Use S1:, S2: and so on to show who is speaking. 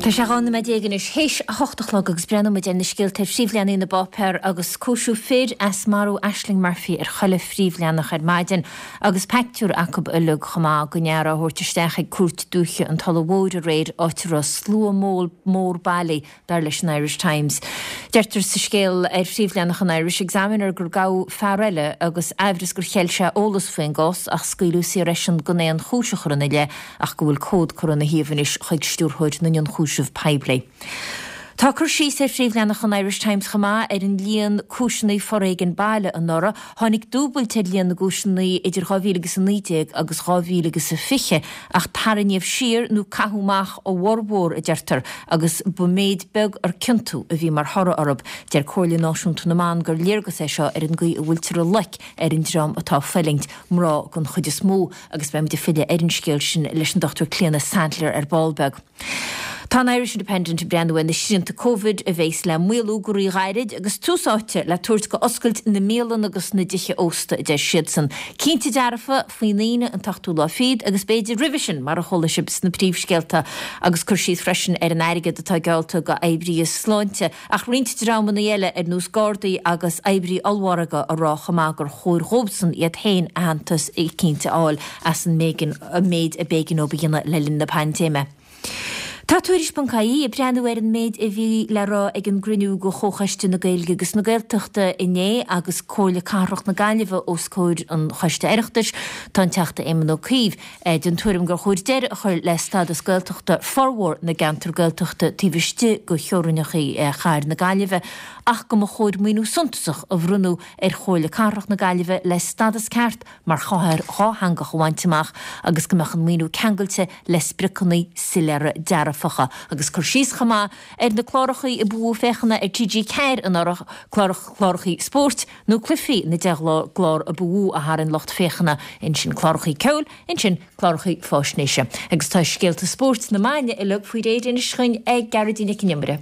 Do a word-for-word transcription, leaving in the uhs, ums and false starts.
S1: Tá sé dhá nóiméad déag anois théis a hocht a chlog agus breathnóidh muid ar na scéalta ar phríomhleathanaigh na bpáipéar agus cúisiú fir as marú Ashling Murphy ar chuile phríomhleathanach ar maidin agus pictiúr acu uilig chomh maith den fhear á thabhairt isteach ag Cúirt Dúiche an Tulaigh Mhóir aréir áit a raibh slua mór bailithe dar leis an Irish Times. Deirtear sa scéal ar phríomhleathanach an Irish Examiner gur gabhadh fear eile agus aimhreas gur cheil sé eolas faoin gcás ach scaoileadh saor eisean gan aon chúis a chur ina leith ach go bhfuil comhad curtha ina thaobh anois chuig stiúrthóir na n-ionchúiseamh poiblí. Tá cur síos ar phríomhleathanach an Irish Times chomh maith ar an líon cúiseanna foréigin baile anuraidh. Tháinig dúbailt ar líon na gcúiseanna idir dhá mhíle agus a naoi déag agus dhá mhíle agus a fiche ach tarraingíodh siar nó caitheadh amach a bhformhór, a deirtear, agus ba méid beag ar ciontú a bhí mar thoradh orthu. Deir Comhairle Náisiúnta na mBan gur léargas é seo ar an gcaoi a bhfuiltear ag loic ar an dream atá ag fulaingt, mná den chuid is mó, agus beimid ag filleadh ar an scéal sin leis an Dochtúir Clíona Saidléar ar ball beag. Tá an Irish Independent ag breathnú ar na srianta Covid a bheas le maolú go ríghairid agus tús áite le tabhairt go oscailt na mbialann agus na dtithe ósta, a deir siadsan. Cinnte dearfa, faoin Aoine an t-ochtú lá fichead agus b'fhéidir roimhe sin, mar a chuala sibh sna príomhscéalta, agus cur síos freisin ar an airgead atá geallta go oibrithe sláinte ach roinnt dreamanna eile ar nós Gardaí agus oibrithe ollmhargaidh a rá chomh maith gur chóir dhóibhsan iad féin aitheantas eicínt a fháil as an méid a b'éigean dóibh a dhéanamh le linn na paindéime. Tá Tuairisc ponc ie ag breathnú ar an méid a bhí le rá ag an gcruinniú de Chomhchoiste na Gaeilge agus na Gaeltachta inné agus Comhairle Cathrach na Gaillimhe os comhair an Choiste Oireachtais. Tá an Teachta Éamon Ó Cuív den tuairim gur chóir deireadh a chur le stádas Gaeltachta formhór na gceantar Gaeltachta taobh istigh de theorainneacha chathair na Gaillimhe ach go mba chóir maoiniú suntasach a bhronnadh ar Chomhairle Cathrach na Gaillimhe le stádas ceart mar chathair dhátheangach a bhaint amach agus go mbeadh an maoiniú ceangailte le spriocanna soiléire dearfacha agus cur síos chomh maith ar na clárachaí ab fhiú féachana ar T G ceathair anuraidh, clárachaí spóirt nó cluichí na deich gclár ab fhiú a tharraing lucht féachana, ansin clárachaí ceoil, ansin clárachaí fáisnéise. Agus tá scéalta spóirt na maidine uilig faoi réir anois againn ag Gearóidín Nic an Iomaire.